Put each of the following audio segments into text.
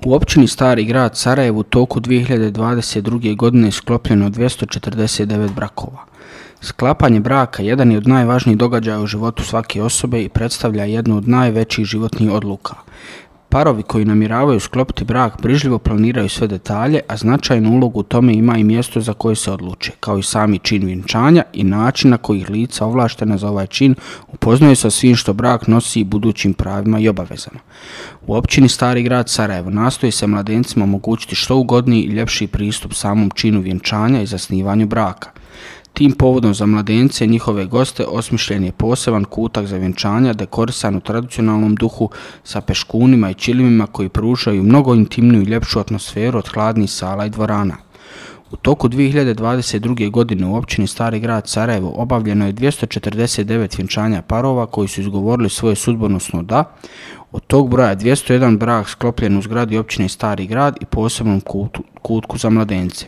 U općini Stari grad Sarajevo u toku 2022. godine sklopljeno 249 brakova. Sklapanje braka jedan je od najvažnijih događaja u životu svake osobe i predstavlja jednu od najvećih životnih odluka. Parovi koji namjeravaju sklopiti brak brižljivo planiraju sve detalje, a značajnu ulogu u tome ima i mjesto za koje se odluče, kao i sami čin vjenčanja i način na koji ih lica ovlaštena za ovaj čin upoznaju sa svim što brak nosi i budućim pravima i obavezama. U općini Stari grad Sarajevo nastoji se mladencima omogućiti što ugodniji i ljepši pristup samom činu vjenčanja i zasnivanju braka. Tim povodom za mladence i njihove goste osmišljen je poseban kutak za vjenčanja dekorisan u tradicionalnom duhu sa peškunima i čilimima koji pružaju mnogo intimniju i ljepšu atmosferu od hladnih sala i dvorana. U toku 2022. godine u općini Stari grad Sarajevo obavljeno je 249 vjenčanja parova koji su izgovorili svoje sudbonosno da. Od tog broja 201 brak sklopljen u zgradi općine Stari grad i posebnom kutku za mladence.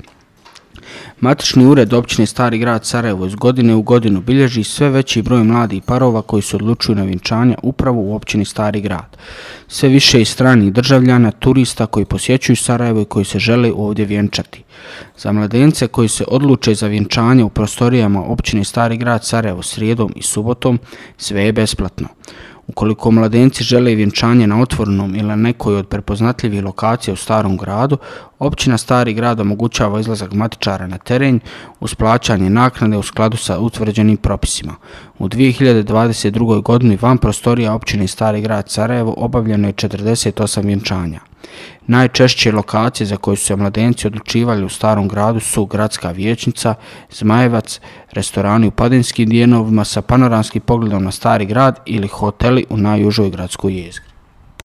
Matični ured općine Stari grad Sarajevo iz godine u godinu bilježi sve veći broj mladih parova koji se odlučuju na vjenčanja upravo u općini Stari grad. Sve više i stranih državljana, turista koji posjećuju Sarajevo i koji se žele ovdje vjenčati. Za mladence koji se odluče za vjenčanje u prostorijama općine Stari grad Sarajevo srijedom i subotom, sve je besplatno. Ukoliko mladenci žele vjenčanje na otvorenom ili na nekoj od prepoznatljivih lokacija u Starom gradu, općina Stari grad omogućava izlazak matičara na teren uz plaćanje naknade u skladu sa utvrđenim propisima. U 2022. godini van prostorija općine Stari grad Sarajevo obavljeno je 48 vjenčanja. Najčešće lokacije za koje su se mladenci odlučivali u Starom gradu su Gradska vijećnica, Zmajevac, restorani u Padinskim dijelovima sa panoramskim pogledom na Stari grad ili hoteli u najužoj gradskoj jezgri.